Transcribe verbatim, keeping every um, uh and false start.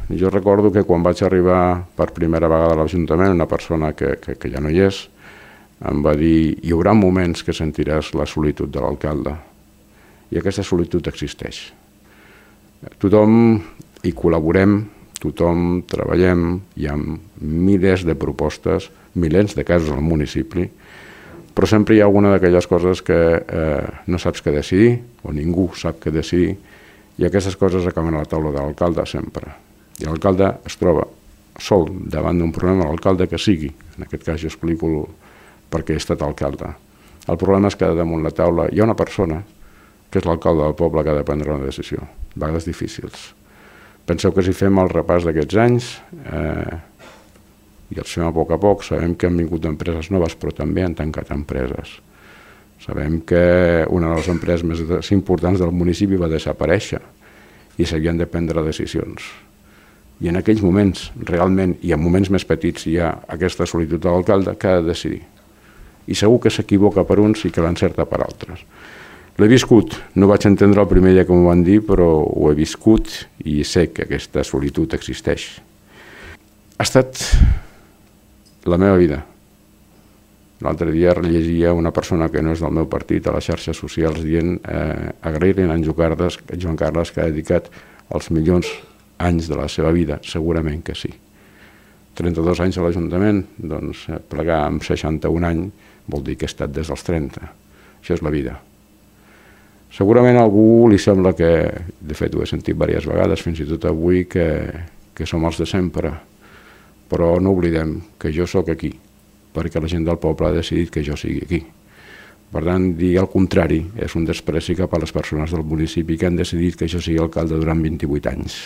Jo recordo que quan vaig arribar per primera vegada a l'Ajuntament, una persona que, que, que ja no hi és, em va dir: hi haurà moments que sentiràs la solitud de l'alcalde. I aquesta solitud existeix. Tothom hi col·laborem, tothom treballem, hi ha milers de propostes, milers de casos al municipi, però sempre hi ha alguna d'aquelles coses que eh, no saps què decidir, o ningú sap què decidir, i aquestes coses acaben a la taula de l'alcalde sempre. I l'alcalde es troba sol davant d'un problema, l'alcalde que sigui. En aquest cas jo explico perquè he estat alcalde. El problema és que damunt la taula hi ha una persona, que és l'alcalde del poble, que ha de prendre una decisió, a vegades difícils. Penseu que si fem el repàs d'aquests anys, eh, i els fem a poc a poc, sabem que han vingut empreses noves, però també han tancat empreses. Sabem que una de les empreses més importants del municipi va desaparèixer i s'havien de prendre decisions. I en aquells moments, realment, i en moments més petits, hi ha aquesta solitud de l'alcalde que ha de decidir. I segur que s'equivoca per uns i que l'encerta per altres. L'he viscut, no vaig entendre el primer dia que m'ho van dir, però ho he viscut i sé que aquesta solitud existeix. Ha estat la meva vida. L'altre dia llegia una persona que no és del meu partit a les xarxes socials dient eh, agrair-li a en Joan Carles que ha dedicat els millors anys de la seva vida. Segurament que sí. trenta-dos anys a l'Ajuntament, doncs plegar amb seixanta-un anys vol dir que he estat des dels trenta. Això és la vida. Segurament a algú li sembla que, de fet ho he sentit diverses vegades, fins i tot avui, que, que som els de sempre. Però no oblidem que jo sóc aquí, perquè la gent del poble ha decidit que jo sigui aquí. Per tant, dir el contrari és un despreci cap a les persones del municipi que han decidit que jo sigui alcalde durant vint-i-vuit anys.